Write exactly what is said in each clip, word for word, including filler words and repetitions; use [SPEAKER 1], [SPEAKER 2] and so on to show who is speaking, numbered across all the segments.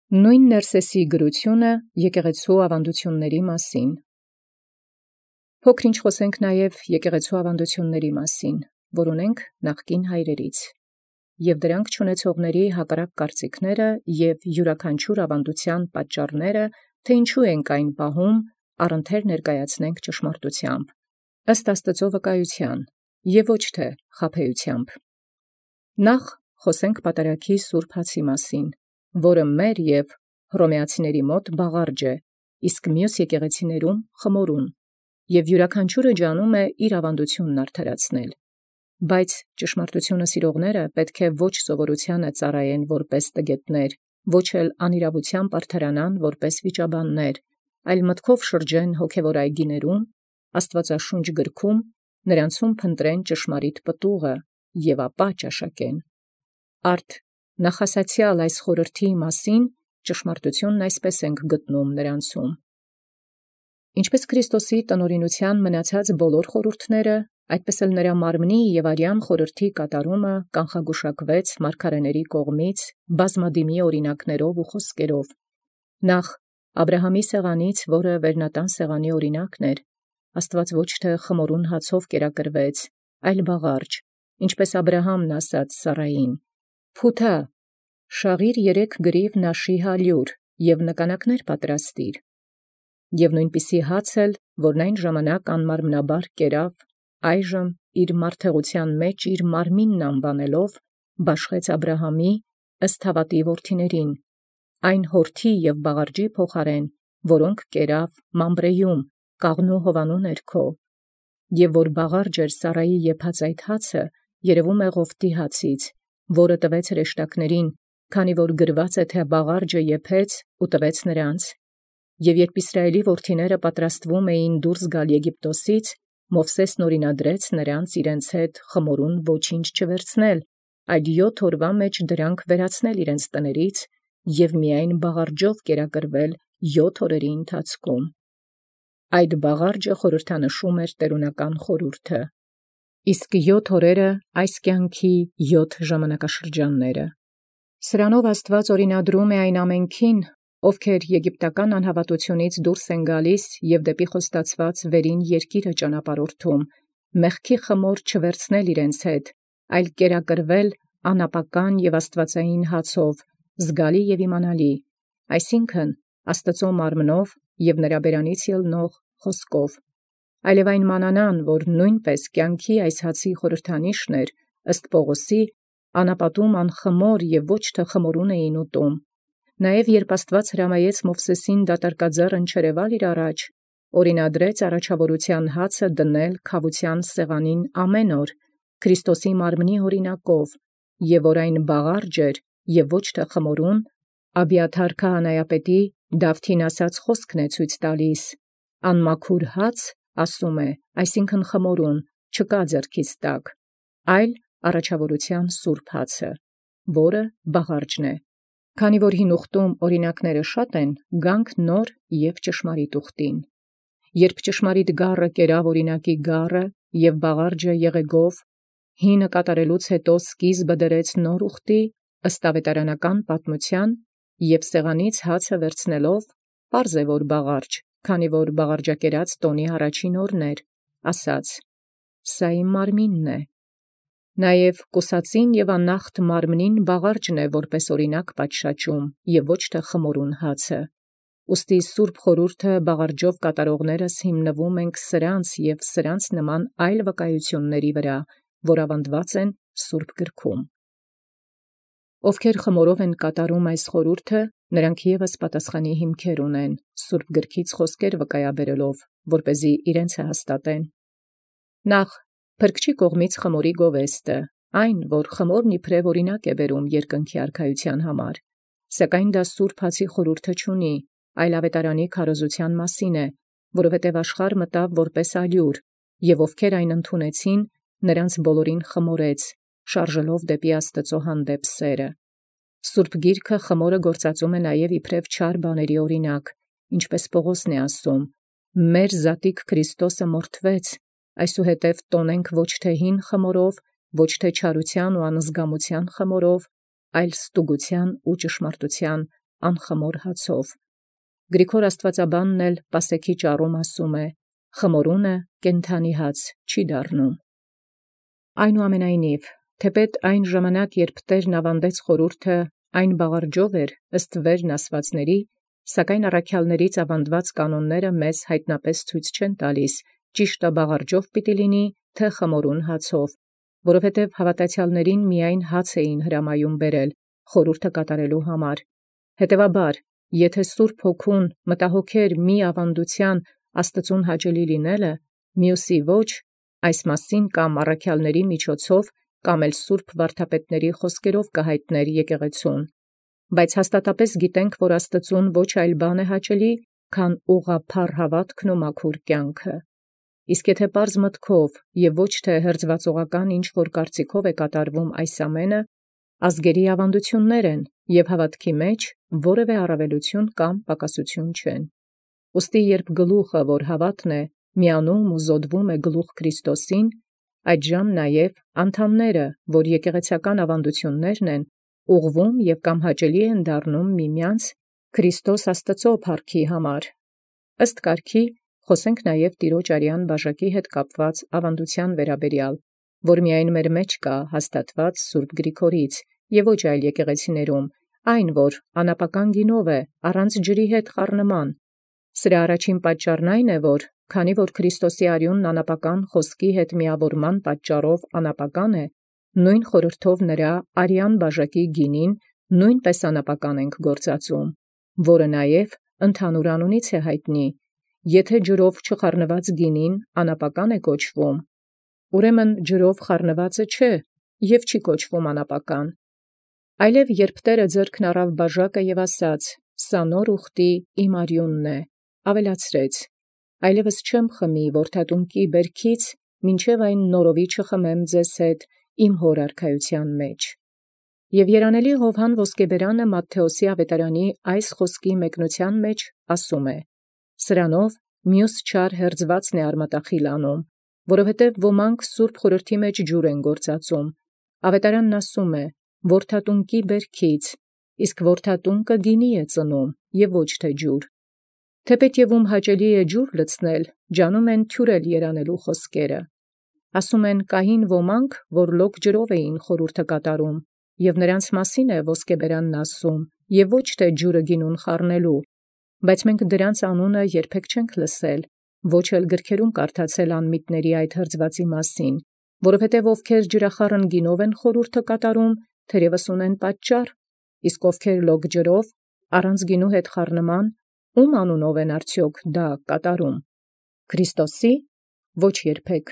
[SPEAKER 1] Նոյն Ներսեսի գրությունը եկեղեցու աւանդութիւնացն մասին։ Փոքր ինչ խոսենք նաև եկեղեցու աւանդութիւնացն, որ ունենք նախկին հայրերից, և դրանք չունեցողների հակառակ կարծիքները և յուրաքանչյուր աւանդութեան պատճառները, թե ինչու ենք այն պահում, առընթեր ներկայացնենք ճշմարտութեամբ, ըստ Աստուծոյ վկայութեան, և ոչ թե խաբեութեամբ։ Նախ խոսենք պատարագի սուրբ հացի մասին, որը մեր և հռոմեացիներու մոտ բաղարջն է, իսկ մյուս եկեղեցիներում խմորուն, և յուրաքանչիւրը ջանում է իր աւանդութիւնն արդարացնել։ Բայց ճշմարտութիւնը սիրողները պետք է ոչ սովորութեանը ծառայեն որպէս տգետներ, ոչ էլ անիրաւութեամբ արդարանան որպէս վիճաբաններ, այլ մտքով շրջեն հոգևոր այգիներուն, աստուածաշունչ գրքում, նրանցում փնտրեն ճշմարիտ պտուղը և ապա ճաշակեն։ Արդ նախասացեալ այս խորհրդի մասին ճշմարտութիւնն այսպէս ենք գտնում նրանցում. ինչպէս Քրիստոսի տնօրինութեան մնացած բոլոր խորհուրդները, այդպէս էլ նրա մարմնի և արեան խորհրդի կատարումը կանխագուշակվեց մարգարէաց կողմից բազմադիմի օրինակաւք և խոսքերով. նախ Աբրահամի սեղանից, որը վերնատան սեղանի օրինակն էր, Աստուած ոչ թե խմորուն հացով կերակրվեց, այլ բաղարջ, ինչպէս Աբրահամն ասաց Սառային. «Փութա, շաղիր երեք գրիւ նաշի հալիւր և նկանակաց պատրաստիր»։ Եւ նոյնպիսի հաց էլ, որն այն ժամանակ անմարմնաբար կերավ, այժմ իր մարդեղութեան մեջ իր մարմինն անուանելով, բաշխեց Աբրահամի ըստ հաւատի որդիցն, այն յորդի և բաղարջի փոխարէն, որոնք կերավ Մամրէում, Կաղնու Հովանու ներքո, և որ բաղարջ էր Սառայի եփած այդ հացը, երևում է Ղովտի հացից, որը տվեց հրեշտակացն, քանի որ գրված է, թէ բաղարջը եփեց և տվեց նոցա. և յորժամ Իսրայէլի որդիցն պատրաստվում էին դուրս գալ Եգիպտոսից, Մովսէս օրինադրեց նոցա իրանց հետ խմորուն ոչինչ չվերցնել, այլ յոթ օրվա մեջ դրանք վերացնել իրանց տանից և միայն բաղարջով կերակրվել յոթ օրերի ընթացքում։ Այդ բաղարջը խորհրդանշում էր տէրունական խորհուրդը, իսկ յոթ օրերը այս կյանքի յոթ ժամանակաշրջանները։ Սրանով Աստուած օրինադրում է այն ամենեցուն, ովքեր եգիպտական անհաւատութիւնից դուրս են գալիս և դեպի խոստացեալ վերին երկիրը ճանապարհորդում, մեղքի խմոր չվերցնել իրանց հետ, այլ կերակրվել անապական և աստուածային հացով, զգալի և իմանալի, այսինքն Աստուծոյ մարմնով և նրա բերանից ելնող խոսքով, այլև այն մանանան, որ նոյնպէս կյանքի այս հացի խորհրդանիշն էր, ըստ Պաւղոսի, անապատում անխմոր և ոչ թե խմորուն էին ուտում։ Նաև յորժամ Աստուած հրամայեց Մովսէսին դատարկաձեռն չերևալ առաջի, օրինադրեց առաջաւորութեան հացն դնել քաւութեան սեղանին ամենայն օր, Քրիստոսի մարմնի օրինակով, և որ այն բաղարջ էր և ոչ թե խմորուն, Աբիաթար քահանայապետի Դավթին ասաց խոսքն է ցույց տալիս. «Անմաքուր հաց, ասում է, այսինքն խմորուն, չկա ձեռքիս տակ, այլ առաջաւորութեան սուրբ հացը, որը բաղարջն է»։ Քանի որ հին ուխտում օրինակացն շատ են, գանք նոր և ճշմարիտ ուխտին։ Երբ ճշմարիտ գառը կերավ օրինակի գառը և բաղարջը եղեգով, հինը կատարելուց յետո սկիզբը դրեց նոր ուխտի, ըստ աւետարանական պատմութեան, և սեղանից հացը վերցնելով, պարզ է, որ բաղարջ, քանի որ բաղարջակերած տօնի առաջին օրն էր, ասաց. «Սա իմ մարմինն է»։ Նաև կուսածին և աննախտ մարմնին բաղարջն է որպէս օրինակ պատշաճում, և ոչ թե խմորուն հացը։ Ուստի սուրբ խորհուրդը բաղարջով կատարողներս հիմնվում ենք սրանց և սրանց նման այլ վկայությունացն վրա, որ աւանդած են սուրբ գրքում։ Ովքեր խմորով են կատարում այս խորհուրդը, նրանք ևս պատասխանի հիմքեր ունեն, սուրբ գրոց խոսքեր վկայաբերելով, որպէզի իրենցը հաստատեն։ Նախ փրկչի կողմից խմորի գովեստը, այն, որ խմորն իբրև օրինակ է բերում երկնքի արքայութեան համար, սակայն դա սուրբ հացի խորհուրդը չունի, այլ աւետարանի քարոզութեան մասին է, որովհետև աշխարհ մտավ որպէս ալիուր, և ովքեր այն ընդունեցին, նրանց բոլորին խմորեց, շարժելով դեպի Աստուծոյ հանդեպ սերը։ Սուրբ Գիրքը խմորը գործածում է նաև իբրև չար բաների օրինակ, ինչպէս Պաւղոսն է ասում. «Մեր զատիկ Քրիստոսը մորթվեց, այսուհետև տոնենք ոչ թե հին խմորով, ոչ թե չարութեան ու անզգամութեան խմորով, այլ ստուգութեան ու ճշմարտութեան անխմոր հացով։ Գրիգոր Աստուածաբանն էլ պասեքի ճառում ասում է. խմորունը կենթանի հաց չի դառնում։ Այնուամենայնիվ, թեպետ այն ժամանակ, երբ Տերն ավանդեց խորհուրդը, այն բաղարջով էր ըստ վերն ասվածների, սակայն առաքյալներից ավանդված կանոնները մեզ հայտնապես ցույց չեն տալիս, ճիշտը բաղարջով պիտի լինի, թե խմորուն հացով, որովհետև հավատացյալներին միայն հաց էին հրամայում բերել խորհուրդը կատարելու համար։ Հետևաբար, եթե Սուրբ Հոգուն մտահոգեր մի ավանդության Աստծուն հաճելի լինելը, մյուսի ոչ, այս մասին կամ առաքյալների միջոցով, կամ էլ սուրբ վարդապետների խոսքերով կհայտներ եկեղեցուն։ Բայց հաստատապես գիտենք, որ Աստծուն ոչ այլ բան է հաճելի, քան ուղղափառ հավատքն ու մաքուր կյանքը։ Իսկ եթե պարզ մտքով և ոչ թե հերձվածողական ինչ որ կարծիքով է կատարվում այս ամենը, ազգերի ավանդություններ են և հավատքի մեջ որևէ առավելություն կամ պակասություն չեն։ Ուստի երբ գլուխը, որ հավատն է, միանում ու զոդվում է գլուխ Քրիստոսին, այդժամ նաև անդամները, որ եկեղեցական ավանդություններն են, ուղղվում և կամ հաճելի են դառնում միմյանց Քրիստոս Աստծո փառքի համար։ Ըստ կարգի խոսենք նաև Տիրոջ արյան բաժակի հետ կապված ավանդության վերաբերյալ, որ միայն մեր մեջ կա հաստատված Սուրբ Գրիգորից և ոչ այլ եկեղեցիներում, այն, որ անապական գինով է, առանց ջրի հետ խառնման։ Սրա առաջին պատճառն այն է, որ քանի որ Քրիստոսի արյունն անապական խոսքի հետ միավորման պատճառով անապական է, նույն խորհրդով նրա արյան բաժակի գինին նույնպես անապական ենք գործածում, որը նաև ընդհանուր անունից է հայտնի. եթե ջրով չխառնված գինին անապական է կոչվում, ուրեմն ջրով խառնվածը չէ և չի կոչվում անապական։ Այլև երբ Տերը ձեռքն առավ բաժակը և ասաց. «Սա նոր ուխտի իմ արյունն է», ավելացրեց. «Այլևս չեմ խմի որդատունկի բերքից, մինչև այն նորովի չխմեմ ձեզ հետ իմ հոր արքայության մեջ»։ Եւ երանելի Յովհան Ոսկեբերանը Մատթեոսի ավետարանի այս խոսքի մեկնության մեջ ասում է. «Սրանով մյուս չար հերձվածն է արմատախիլ անում, որովհետև ոմանք Սուրբ Խորհրդի մեջ ջուր են գործածում։ Ավետարանն ասում է. որդատունկի բերքից, իսկ որդատունկը գինի է ծնում և ոչ թե ջուր։ Թեպետ և ում հաճելի է ջուր լցնել, ջանում են թյուրել երանելու խոսքերը։ Ասում են կային ոմանք, որ լոկ ջրով էին խորհուրդը կատարում, և նրանց մասին է Ոսկեբերանն ասում, և ոչ թե ջուրը գինուն խառնելու, բայց մենք դրանց անունը երբեք չենք լսել, ոչ էլ գրքերում կարդացել անմիտների այդ հրձվածի մասին, որովհետև ովքեր ջրախառն գինով են խորհուրդը կատարում, թերևս ունեն պատճառ, իսկ ովքեր լոկ ջրով, առանց գինու հետ խառնման, ում անունով են արդյոք դա կատարում։ Քրիստոսի, ոչ երբեք,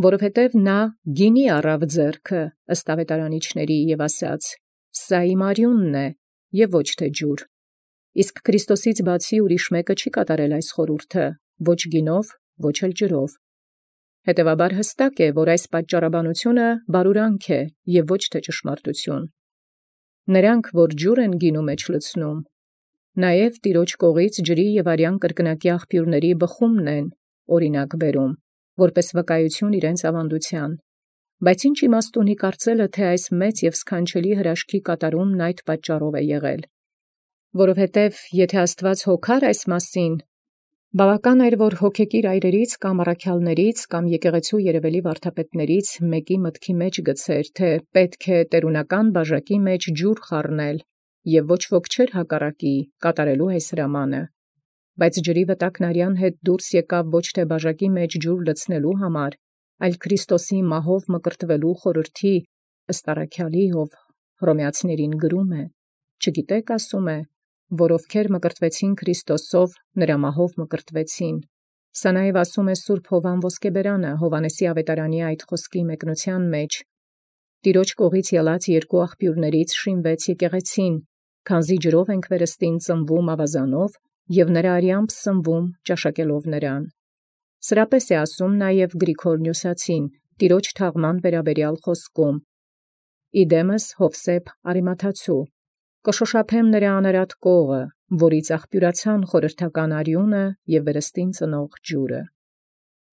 [SPEAKER 1] որովհետև նա գինի առավ ձեռքը ըստ ավետարանիչների և ասաց. «Սա իմ արյունն է» և ոչ թե ջուր։ Իսկ Քրիստոսից բացի ուրիշ մեկը չի կատարել այս խորհուրդը, ոչ գինով, ոչ էլ ջրով։ Հետևաբար հստակ է, որ այս պատճառաբանությունը բարուրանք է և ոչ թե ճշմարտություն։ Նրանք, որ ջուր են գինու մեջ լցնում, նաև Տիրոջ կողից ջրի և արյան կրկնակի աղբյուրների բխումն են օրինակ բերում, որպես վկայություն իրենց ավանդության։ Բայց ինչ իմաստ ունի կարծելը, թե այս մեծ և սքանչելի հրաշքի կատարումն այդ պատճառով է եղել։ Որովհետև եթե Աստված հոգար այս մասին, բավական էր, որ հոգեկիր այրերից կամ առաքյալներից կամ եկեղեցու երևելի վարդապետներից մեկի մտքի մեջ գցեր, թե պետք է տերունական բաժակի մեջ ջուր խառնել, և ոչ ոք չէր հակառակի կատարելու այս հրամանը։ Բայց ջրի վտակն արյան հետ դուրս եկավ ոչ թե բաժակի մեջ ջուր լցնելու համար, այլ Քրիստոսի մահով մկրտվելու խորհրդի, ըստ առաքյալի, ով Հռոմեացիներին գրում է. «Չգիտեք, ասում է, որ ովքեր մկրտվեցին Քրիստոսով, նրա մահով մկրտվեցին»։ Սա նաև ասում է Սուրբ Հովհան Ոսկեբերանը Հովհաննեսի ավետարանի այդ խոսքի մեկնության մեջ. «Տիրոջ կողից ելած երկու աղբյուրներից շինվեց եկեղեցին, քանզի ջրով ենք վերստին ծնվում ավազանով և նրա արյամբ սնվում ճաշակելով նրան»։ Սրապես է ասում նաև Գրիգոր Նյուսացին Տիրոջ թաղման վերաբերյալ խոսքում. «Իդեմս Յովսեփ Արիմաթացու, կշոշափեմ նրա անարատ կողը, որից աղբյուրացան խորհրդական արյունը և վերստին ծնող ջուրը»։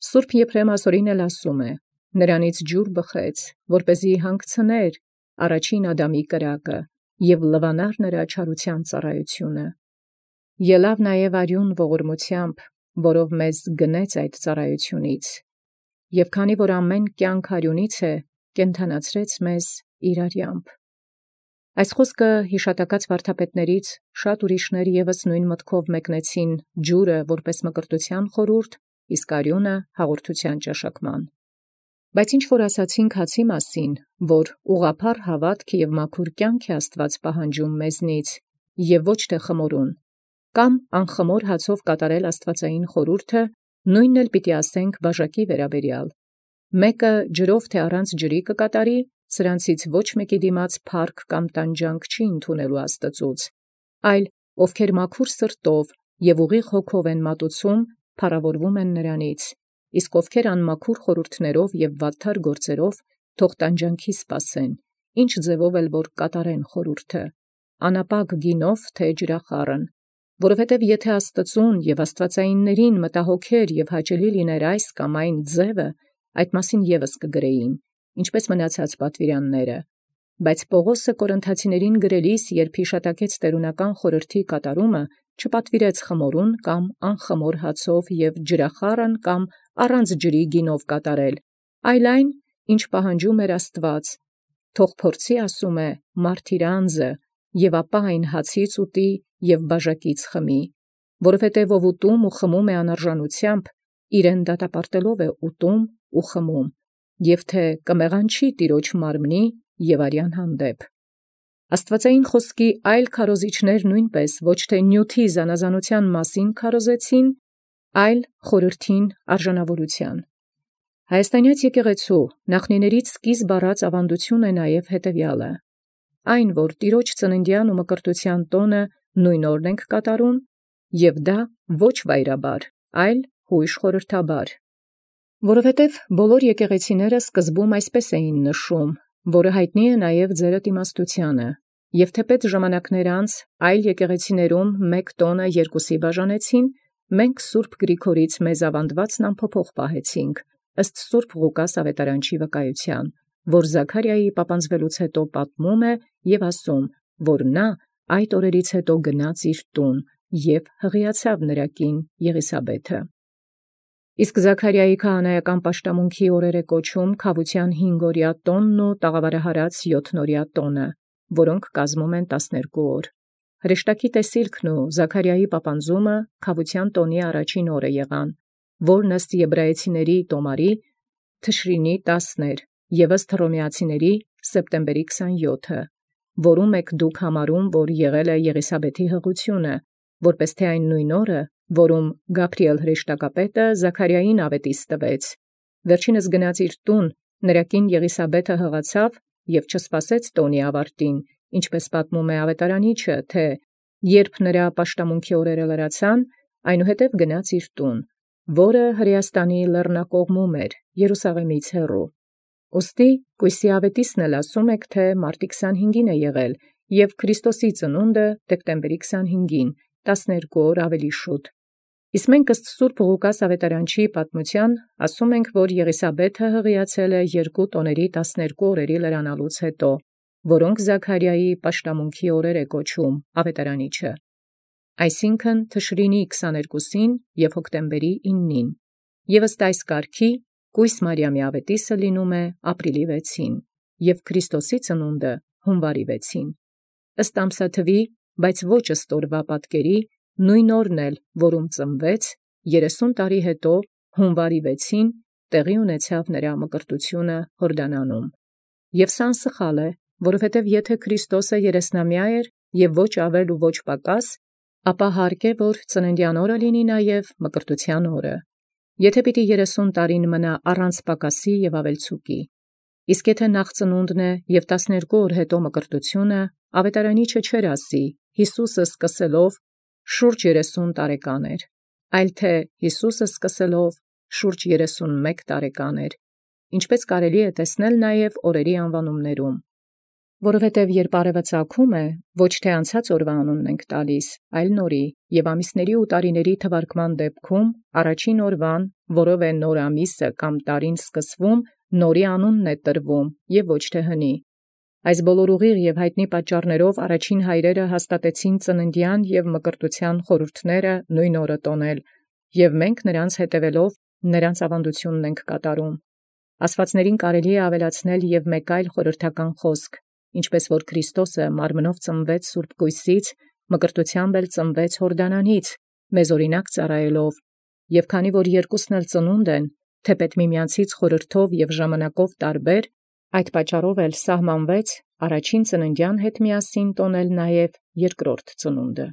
[SPEAKER 1] Սուրբ Եփրեմ ասորին էլ ասում է. «Նրանից ջուր բխեց, որպեսզի հանգցներ առաջին Ադամի կրակը, և լվանար նրա չարութեան ծառայութիւնը։ Ելաւ նաև արիուն ողորմութեամբ, որով մեզ գնեց այդ ծառայութիւնից, և քանի որ ամեն կյանք արիունից է, կենդանացրեց մեզ իր արյամբ։ Այս խոսքը յիշատակած վարդապետաց շատ ուրիշներ ևս նույն մտքով մեկնեցին ջուրը որպես մկրտութեան խորհուրդ, իսկ արիւնը հաղորդութեան ճաշակման։ Բայց ինչ որ ասացինք հացի մասին, որ ուղղափառ հաւատք և մաքուր կյանք է Աստուած պահանջում մեզնից, և ոչ թե խմորուն, կամ անխմոր հացով կատարել աստուածային խորհուրդը, նույնն էլ պիտի ասենք բաժակի վերաբերյալ. մեկը ջրով թե առանց ջրի կկատարի, սրանցից ոչ մեկի դիմաց փառք կամ տանջանք չի ընդունելու Աստծուց, այլ ովքեր մաքուր սրտով և ուղիղ հոգով են մատուցում, փառաւորվում են նրանից, իսկ ովքեր անմաքուր խորհուրդներով և վատթար գործերով, թող տանջանքի սպասեն, ինչ ձևով էլ որ կատարեն խորհուրդը, անապակ գինով թե ջրախառն, որովհետև եթե Աստծուն և աստուածայիններին մտահոգեր և հաճելի լիներ այս կամ այն ձևը, այդ մասին ևս կգրեին, ինչպես մնացած պատվիրանները։ Բայց Պաւղոսը Կորինթացիներին գրելիս, երբ յիշատակեց տէրունական խորհրդի կատարումը, չպատվիրեց խմորուն կամ անխմոր հացով և ջրախառն կամ առանց ջրի գինով կատարել, այլ այն, ինչ պահանջում էր Աստուած, թող փորձի, ասում է, մարդ իր անձը, և ապա այն հացից ուտի և բաժակից խմի, որովհետև ով ուտում ու խմում է անարժանութեամբ, իրեն դատապարտելով է ուտում ու խմում, և թե կմեղանչի տիրոջ մարմնի և արյան հանդեպ։ Աստուածային խոսքի այլ քարոզիչներ նույնպես ոչ թե նյութի զանազանութեան մասին քարոզեցին, այլ խորհրդին արժանավորութեան։ Հայաստանեաց եկեղեցու նախնիներից սկիզբ առած աւանդութիւն է նաև հետևեալը. այն, որ տիրոջ ծննդեան ու մկրտութեան տօնը նույն օրն ենք կատարում, և դա ոչ վայրաբար, այլ յույժ խորհրդաբար։ Որովհետև բոլոր եկեղեցիները սկզբում այսպես էին նշում, որը յայտնի է նաև ձերդ իմաստութեանը, և թեպետ ժամանակներ անց այլ եկեղեցիներում մեկ տօնը երկուսի բաժանեցին, մենք սուրբ Գրիգորից մեզ աւանդելոցն անփոփոխ պահեցինք, ըստ սուրբ Ղուկաս աւետարանչի վկայութեան, որ Զաքարիայի պապանձվելուց յետո պատմում է և ասում, որ նա այդ օրերից յետո գնաց իր տուն և հղիացավ նրա կին Եղիսաբէթը։ Իսկ Զաքարիայի քահանայական պաշտամունքի օրեր է կոչում քավութեան հինգօրյա տօնն ու տաղավարահարած յոթնօրյա տօնը, որոնք կազմում են տասներկու օր։ Հրեշտակի տեսիլքն ու Զաքարիայի պապանձումը քավութեան տօնի առաջին օրը եղան, որն ըստ Եբրայեցիների տոմարի Թշրինի տասն էր, և ըստ Հռոմեացիների սեպտեմբերի քսանյոթը, որում եք դուք համարում, որ եղել է Եղիսաբէթի հղությունը, որպէս թե այն նույն օրը, որում Գաբրիէլ հրեշտակապետը Զաքարիային աւետիս տվեց, վերջինս գնաց իր տուն, նրա կին Եղիսաբէթը հղացավ և չսպասեց տօնի ավարտին, ինչպես պատմում է աւետարանիչը, թէ երբ նրա պաշտամունքի օրերը լրացան, այնուհետև գնաց իր տուն, որը Հրեաստանի լեռնակողմում էր, Երուսաղեմից հեռու։ Ուստի կոյսի աւետիսն էլ ասում եք, թէ մարտի քսանհինգին է եղել, և Քրիստոսի ծնունդը դեկտեմբերի քսանհինգին, տասներկու օր ավելի շուտ։ Իսկ մենք ըստ սուրբ Ղուկաս աւետարանչի պատմութեան ասում ենք, որ Եղիսաբէթը հղիացել է երկու տոների տասներկու օրերի լրանալուց յետո, որոնք Զաքարիայի պաշտամունքի օրեր է կոչում աւետարանիչը, այսինքն Թշրինի քսաներկուսին և հոկտեմբերի իննին, և ըստ այս կարգի կույս Մարիամի աւետիսը լինում է ապրիլի վեցին, և Քրիստոսի ծնունդը հունվարի վեցին, ըստ ամսաթուի, բայց ոչ ըստ օրվա պատկերի, նույն օրն էլ, որում ծնվեց, երեսուն տարի յետո հունվարի վեցին տեղի ունեցավ նրա մկրտութիւնը Յորդանանում։ Եւ սա անսխալ է, որովհետև եթե Քրիստոսը երեսնամյա էր և ոչ ավել ու ոչ պակաս, ապա հարկ է, որ ծննդեան օրը լինի նաև մկրտութեան օրը, եթե պիտի երեսուն տարին մնա առանց պակասի և ավելցուկի։ Իսկ եթե նախ ծնունդն է և տասներկու օր յետո մկրտութիւնը, աւետարանիչը չէր ասի Յիսուսը սկսելով շուրջ երեսուն տարեկան էր, այլ թէ Յիսուսը սկսելով շուրջ երեսունմեկ տարեկան էր, ինչպես կարելի է տեսնել նաև օրերի անվանումներում։ Որովհետև երբ արևը ծագում է, ոչ թե անցած օրվա անունն ենք տալիս, այլ նորի, և ամիսների ու տարիների թվարկման դեպքում առաջին օրվան, որով է նոր ամիսը կամ տարին սկսվում, նորի անունն է տրվում, և ոչ թե հնի։ Այս բոլոր ուղիղ եւ յայտնի պատճառաւք առաջին հայրերը հաստատեցին ծննդեան եւ մկրտութեան խորհուրդները նոյն օրը տանել, եւ մենք նրանց հետևելով նրանց աւանդութիւնն ենք կատարում։ Աստուածներին կարելի է աւելացնել եւ մեկ այլ խորհրդական խոսք, ինչպէս որ Քրիստոս մարմնով ծնվեց սուրբ գոյսից, մկրտութեամբ էլ ծնվեց Յորդանանից, մեզ օրինակ ծառայելով, եւ քանի որ երկուքն էլ ծնունդ են, թեպետ միմեանցից խորհրդով եւ ժամանակով տարբեր, այդ պատճառով էլ սահմանվեց առաջին ծննդեան հետ միասին տոնել նաև երկրորդ ծնունդը։